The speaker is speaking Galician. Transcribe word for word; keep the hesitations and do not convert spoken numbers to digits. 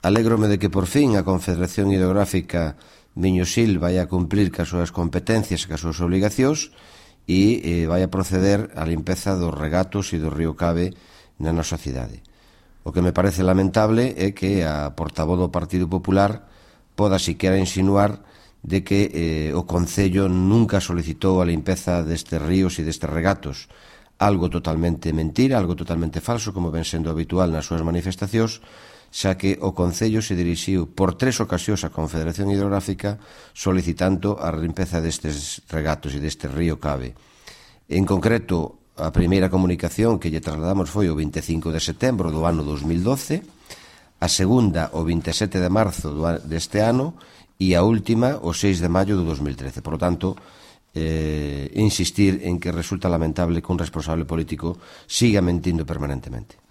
Alégrome de que por fin a Confederación Hidrográfica Miño-Sil vai a cumplir cas súas competencias e cas súas obligacións e eh, vai a proceder á limpeza dos regatos e do río Cave na nosa cidade. O que me parece lamentable é que a portavoz do Partido Popular poda siquera insinuar de que eh, o Concello nunca solicitou a limpeza destes ríos e destes regatos. Algo totalmente mentira, algo totalmente falso, como ven sendo habitual nas súas manifestacións, xa que o Concello se dirixiu por tres ocasións á Confederación Hidrográfica solicitando a limpeza destes regatos e deste río Cave. En concreto, a primeira comunicación que lle trasladamos foi o vinte e cinco de setembro do ano dos mil doce, a segunda o vinte e sete de marzo deste ano e a última o seis de maio do dos mil trece. Por lo tanto, eh, insistir en que resulta lamentable que un responsable político siga mentindo permanentemente.